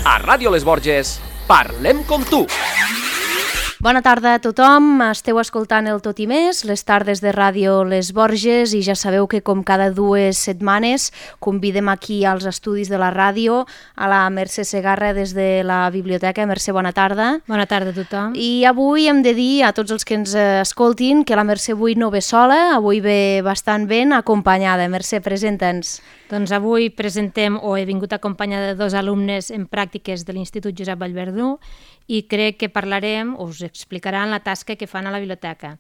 A Ràdio Les Borges, parlem com tu. Bona tarda a tothom, esteu escoltant el Tot i Més, les tardes de Ràdio Les Borges, i ja sabeu que com cada 2 setmanes convidem aquí als estudis de la ràdio a la Mercè Segarra des de la biblioteca. Mercè, bona tarda. Bona tarda a tothom. I avui hem de dir a tots els que ens escoltin que la Mercè avui no ve sola, avui ve bastant ben acompanyada. Mercè, presenta'ns. Doncs avui presentem, o he vingut acompanyada de 2 alumnes en pràctiques de l'Institut Josep Vallverdú, i crec que parlarem, o us explicaran la tasca que fan a la biblioteca.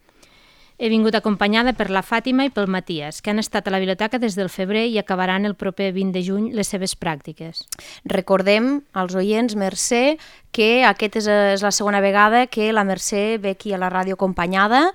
He vingut acompanyada per la Fàtima i pel Matías, que han estat a la biblioteca des del febrer i acabaran el proper 20 de juny les seves pràctiques. Recordem als oients, Mercè, que aquesta és la segona vegada que la Mercè ve aquí a la ràdio acompanyada.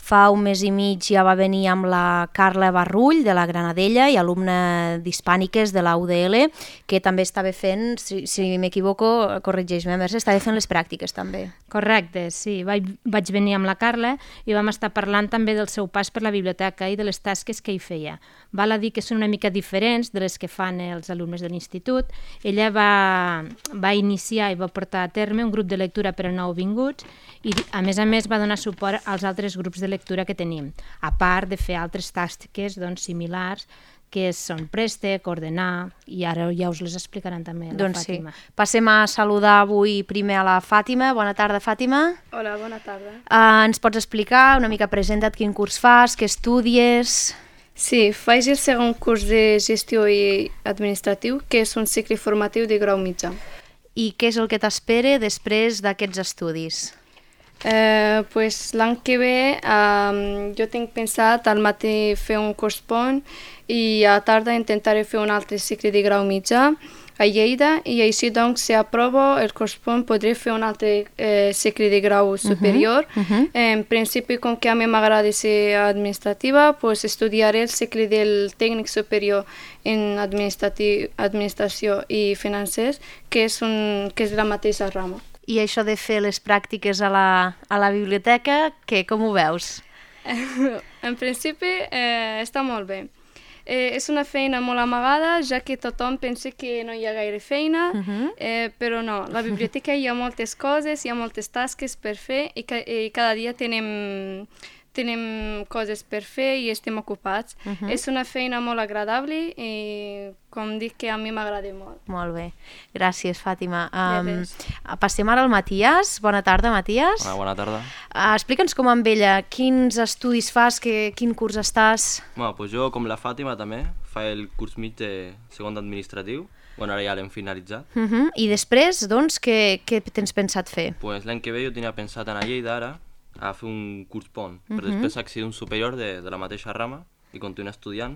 Fa un mes i mig ja va venir amb la Carla Barrull, de la Granadella, i alumna d'Hispàniques de la UDL, que també estava fent, si m'equivoco, corregeix-me, Mercè, estava fent les pràctiques també. Correcte, sí. Vaig venir amb la Carla i vam estar parlant també del seu pas per la biblioteca i de les tasques que hi feia. Val a dir que són una mica diferents de les que fan els alumnes de l'institut. Ella va iniciar i va portar a terme un grup de lectura per a nouvinguts i, a més, va donar suport als altres grups de lectura que tenim, a part de fer altres tasques similars, que són préstec, ordenar, i ara ja us les explicaran també la Fàtima. Sí. Passem a saludar avui primer a la Fàtima. Bona tarda, Fàtima. Hola, bona tarda. Ens pots explicar una mica, presenta't quin curs fas, què estudies? Sí, faig el segon curs de gestió i administratiu, que és un cicle formatiu de grau mitjà. I què és el que t'espera després d'aquests estudis? L'any que ve jo tinc pensat al matí fer un curs pont i a la tarda intentaré fer un altre cicle de grau mitjà a Lleida, i així doncs, si aprovo el curs pont podré fer un altre cicle de grau superior. En principi, com que a mi m'agrada ser administrativa, estudiaré el cicle del tècnic superior en administració i financers, que és la mateixa rama. I això de fer les pràctiques a la biblioteca, com ho veus? En principi està molt bé. És una feina molt amagada, ja que tothom pensa que no hi ha gaire feina, però no, a la biblioteca hi ha moltes coses, hi ha moltes tasques per fer i cada dia tenim coses per fer i estem ocupats. És una feina molt agradable i, com dic, que a mi m'agrada molt. Molt bé. Gràcies, Fàtima. Passem ara al Matías. Bona tarda, Matías. Hola, bona tarda. Explica'ns com amb ella, quins estudis fas, quin curs estàs? Jo, com la Fàtima, també, fa el curs mig de segon d'administratiu. Ara ja l'hem finalitzat. I després, doncs, què tens pensat fer? L'any que ve jo tenia pensat anar a Lleida ara, a fer un curs pont, però després accedir a un superior de la mateixa rama i continuar estudiant.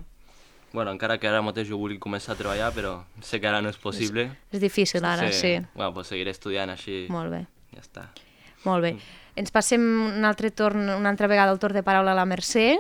Encara que ara mateix jo vulgui començar a treballar, però sé que ara no és possible. És difícil ara, sí. Seguiré estudiant així. Molt bé. Ja està. Molt bé. Ens passem una altra vegada el torn de paraula a la Mercè.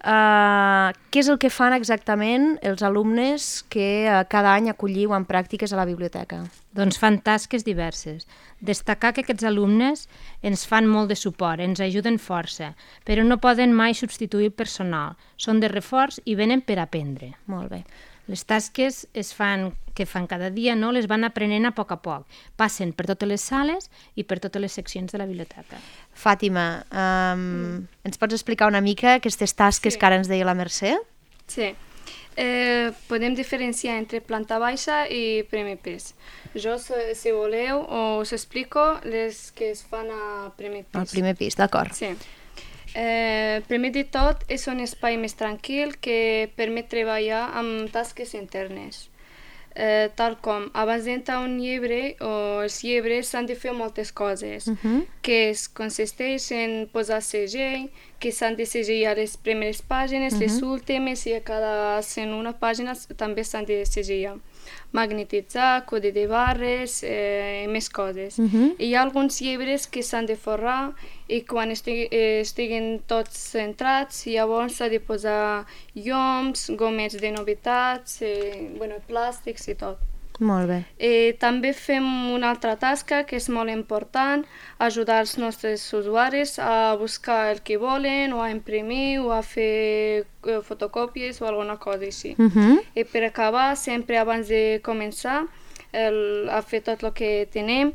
Què és el que fan exactament els alumnes que cada any acolliu en pràctiques a la biblioteca? Doncs fan tasques diverses. Destacar que aquests alumnes ens fan molt de suport, ens ajuden força, però no poden mai substituir el personal. Són de reforç i venen per aprendre. Molt bé. Les tasques que fan cada dia, les van aprenent a poc. Passen per totes les sales i per totes les seccions de la biblioteca. Fàtima, ens pots explicar una mica aquestes tasques que ara ens deia la Mercè? Sí. Podem diferenciar entre planta baixa i primer pis. Jo, si voleu, us explico les que es fan a primer pis. Al primer pis, d'acord. Sí. Primer de tot, és un espai més tranquil que permet treballar amb tasques internes. Tal com abans d'entrar un llibre, els llibres s'han de fer moltes coses, que consisteix en posar segell, que s'han de segellar les primeres pàgines, les últimes, i a cada 101 pàgines també s'han de segellar. Magnetitzar, codi de barres i més coses. Hi ha alguns llibres que s'han de forrar i quan estiguin tots centrats, llavors s'ha de posar llums, gomets de novetats, plàstics i tot. Molt bé. També fem una altra tasca que és molt important, ajudar els nostres usuaris a buscar el que volen, o a imprimir, o a fer fotocòpies o alguna cosa així. I per acabar, sempre abans de començar, a fer tot el que tenim.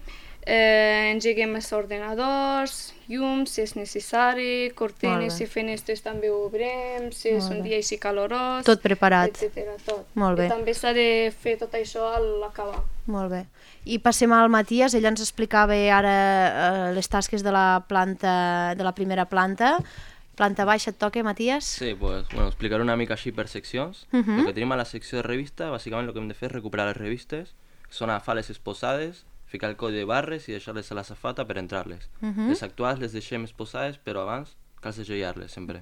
Engeguem els ordenadors, llums, si és necessari, cortines i finestres també ho obrem, si és un dia així calorós... Tot preparat. Etcètera, tot. Molt bé. I també s'ha de fer tot això a l'acabar. Molt bé. I passem al Matías, ell ens explicava ara les tasques de la planta, de la primera planta. Planta baixa et toca, Matías? Sí, pues, bueno, explicaré una mica així per seccions. Lo que tenim a la secció de revista, bàsicament el que hem de fer és recuperar les revistes, són agafar les exposades, ficar el codi de barres i deixar-les a la safata per entrar-les. Les actuals les deixem exposades, però abans cal segellar-les sempre.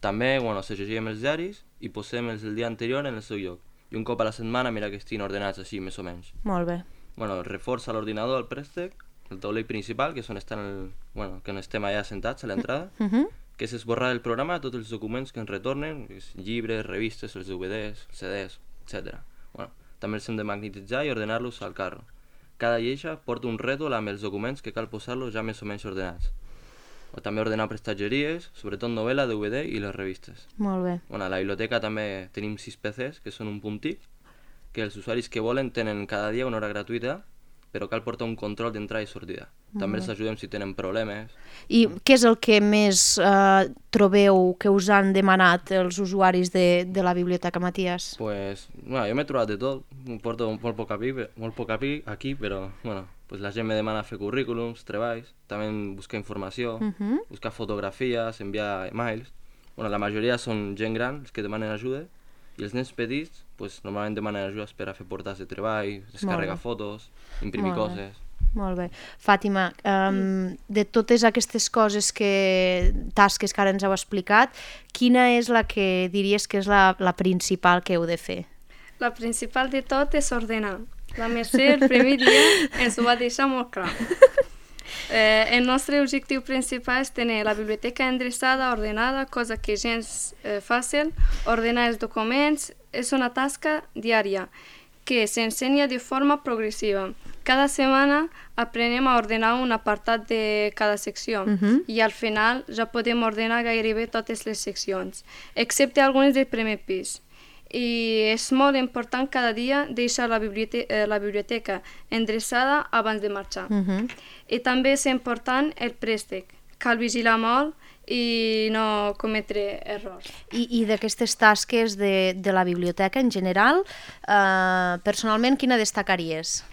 També, bueno, segellem els diaris i posem els del dia anterior en el seu lloc. I un cop a la setmana mira que estiguin ordenats així, més o menys. Molt bé. Bueno, reforça l'ordinador, el préstec, el taulell principal, que és on estan que no estem allà sentats a l'entrada, que és esborrar del programa tots els documents que ens retornen, llibres, revistes, els DVDs, CDs, etc. Bueno, també els hem de magnetitzar i ordenar-los al carro. Cada lleixa porta un rètol amb els documents que cal posar-los ja més o menys ordenats. O també ordenar prestatgeries, sobretot novel·la, DVD i les revistes. Molt bé. Bueno, a la biblioteca també tenim 6 PCs, que són un puntic, que els usuaris que volen tenen cada dia una hora gratuïta, però cal portar un control d'entrada i sortida. També els ajudem si tenen problemes. I què és el que més trobeu que us han demanat els usuaris de la biblioteca, Matías? Pues, bueno, jo m'he trobat de tot, porto molt poc aquí, però bueno, pues la gent me demana fer currículums, treballs, també buscar informació, buscar fotografies, enviar emails. Bueno, la majoria són gent gran, els que demanen ajuda, i els nens petits, pues, normalment demanen ajudes per a fer portades de treball, descarregar fotos, imprimir coses. Molt bé. Fàtima, de totes aquestes coses tasques que ara ens heu explicat, quina és la que diries que és la principal que heu de fer? La principal de tot és ordenar. La Mercè el primer dia ens ho va deixar molt clar. El nostre objectiu principal és tenir la biblioteca endreçada, ordenada, cosa que és gens fàcil. Ordenar els documents és una tasca diària que s'ensenya de forma progressiva. Cada setmana aprenem a ordenar un apartat de cada secció i al final ja podem ordenar gairebé totes les seccions, excepte algunes del primer pis. I és molt important cada dia deixar la biblioteca endreçada abans de marxar. I també és important el préstec. Cal vigilar molt i no cometre errors. I d'aquestes tasques de la biblioteca en general, personalment, quina destacaries?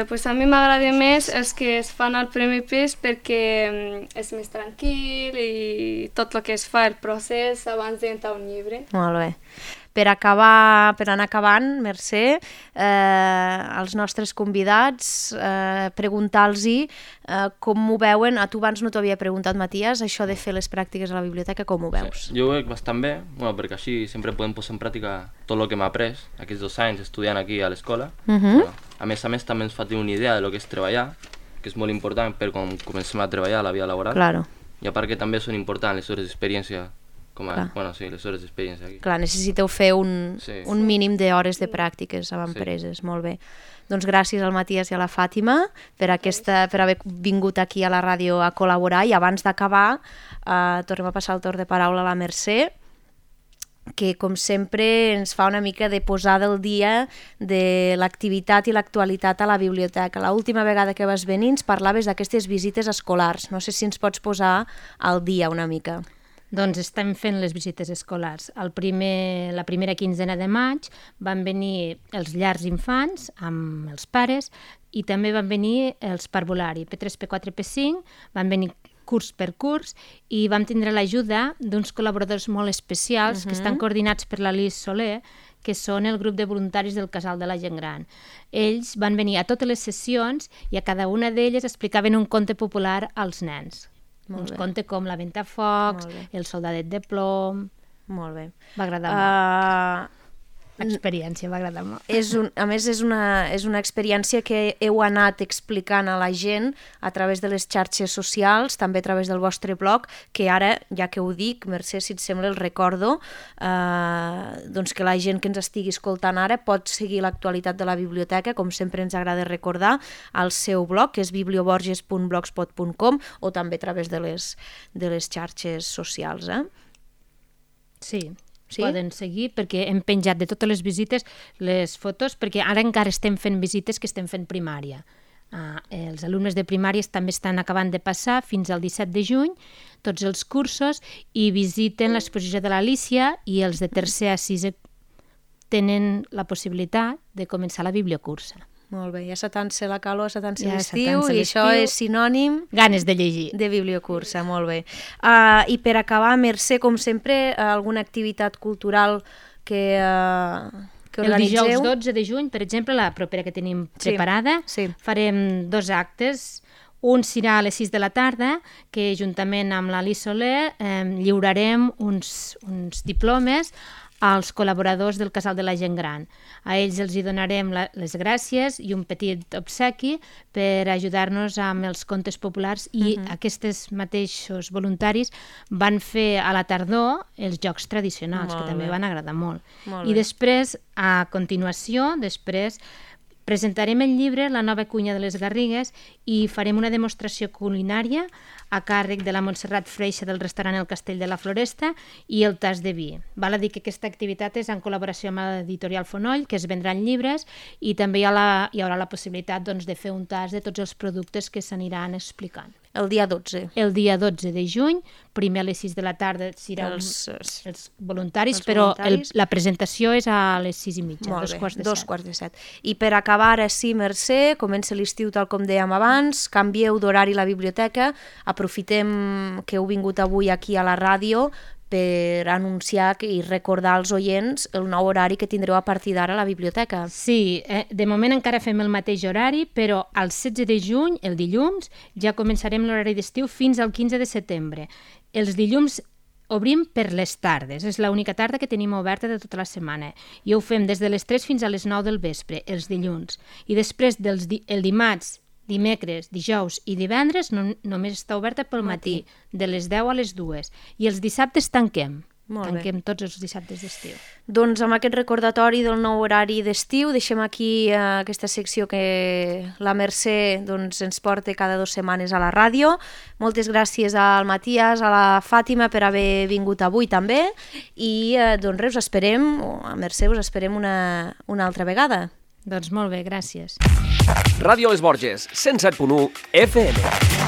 Pues a mi m'agrada més els que es fan al primer pis perquè és més tranquil i tot el que es fa, el procés, abans d'entrar un llibre. Molt bé. Per anar acabant, Mercè, als nostres convidats, preguntar-los com ho veuen. A tu abans no t'ho havia preguntat, Matías, això de fer les pràctiques a la biblioteca, com ho veus? Sí, jo ho veig bastant bé, perquè així sempre podem posar en pràctica tot el que m'ha après aquests 2 anys estudiant aquí a l'escola. A més també ens fa tenir una idea de lo que és treballar, que és molt important per quan comencem a treballar a la vida laboral. Claro. I a part que també són importants les hores d'experiència, les hores d'experiència aquí. Clar, necessiteu fer un mínim d'hores de pràctiques amb empreses, molt bé. Doncs gràcies al Matías i a la Fàtima per haver vingut aquí a la ràdio a col·laborar, i abans d'acabar tornem a passar el torn de paraula a la Mercè, que com sempre ens fa una mica de posada al dia de l'activitat i l'actualitat a la biblioteca. L'última vegada que vas venir ens parlaves d'aquestes visites escolars. No sé si ens pots posar al dia una mica. Doncs estem fent les visites escolars. La primera quinzena de maig van venir els llars infants amb els pares i també van venir els parvulari, P3, P4, P5, van venir curs per curs i vam tindre l'ajuda d'uns col·laboradors molt especials que estan coordinats per la Lis Soler, que són el grup de voluntaris del Casal de la Gent Gran. Ells van venir a totes les sessions i a cada una d'elles explicaven un conte popular als nens. Un conte com La Ventafocs, El soldadet de plom... Molt bé. Va agradar molt. L'experiència va agradar molt. A més, és una experiència que heu anat explicant a la gent a través de les xarxes socials, també a través del vostre blog, que ara, ja que ho dic, Mercè, si et sembla, el recordo, doncs que la gent que ens estigui escoltant ara pot seguir l'actualitat de la biblioteca, com sempre ens agrada recordar, al seu blog, que és biblioborges.blogspot.com, o també a través de les xarxes socials. Sí. Sí? Poden seguir, perquè hem penjat de totes les visites les fotos, perquè ara encara estem fent visites que estem fent primària. Els alumnes de primària també estan acabant de passar fins al 17 de juny tots els cursos i visiten l'exposició de l'Alícia, i els de tercer a sisè tenen la possibilitat de començar la bibliocursa. Molt bé, ja s'atansa la calor, s'atansa Ja l'estiu, s'atansa i això l'estiu. és sinònim Ganes de llegir. de bibliocursa, molt bé. I per acabar, Mercè, com sempre, alguna activitat cultural que El organitzeu? dijous 12 de juny, per exemple, la propera que tenim Sí, preparada, sí. farem 2 actes. Un serà a les 6 de la tarda, que juntament amb l'Alice Soler lliurarem uns diplomes als col·laboradors del Casal de la Gent Gran. A ells els hi donarem les gràcies i un petit obsequi per ajudar-nos amb els contes populars, i aquests mateixos voluntaris van fer a la tardor els jocs tradicionals, Molt que també bé. van agradar molt. Molt I bé. després, a continuació, presentarem el llibre La nova cuina de les Garrigues i farem una demostració culinària a càrrec de la Montserrat Freixa del restaurant El Castell de la Floresta i el tas de vi. Val a dir que aquesta activitat és en col·laboració amb l'editorial Fonoll, que es vendran llibres, i també hi haurà la possibilitat de fer un tas de tots els productes que s'aniran explicant. El dia 12. El dia 12 de juny, primer a les 6 de la tarda seran els voluntaris, els però voluntaris. la presentació és a les 6:30, Molt 2 bé, quarts de 2 set. quarts de 7. I per acabar, ara sí, Mercè, comença l'estiu tal com dèiem abans, canvieu d'horari la biblioteca, aprofitem que heu vingut avui aquí a la ràdio per anunciar i recordar als oients el nou horari que tindreu a partir d'ara a la biblioteca. Sí, de moment encara fem el mateix horari, però el 16 de juny, el dilluns, ja començarem l'horari d'estiu fins al 15 de setembre. Els dilluns obrim per les tardes, és l'única tarda que tenim oberta de tota la setmana, i ho fem des de les 3 fins a les 9 del vespre, els dilluns. I després, el dimarts, dimecres, dijous i divendres només està oberta pel matí, de les 10 a les 2. I els dissabtes tanquem. Molt bé. Tanquem tots els dissabtes d'estiu. Doncs amb aquest recordatori del nou horari d'estiu deixem aquí aquesta secció que la Mercè ens porta cada 2 setmanes a la ràdio. Moltes gràcies al Matías, a la Fàtima per haver vingut avui també, i doncs res, us esperem, a Mercè us esperem una altra vegada. Doncs molt bé, gràcies. Ràdio Les Borges, 107.1 FM.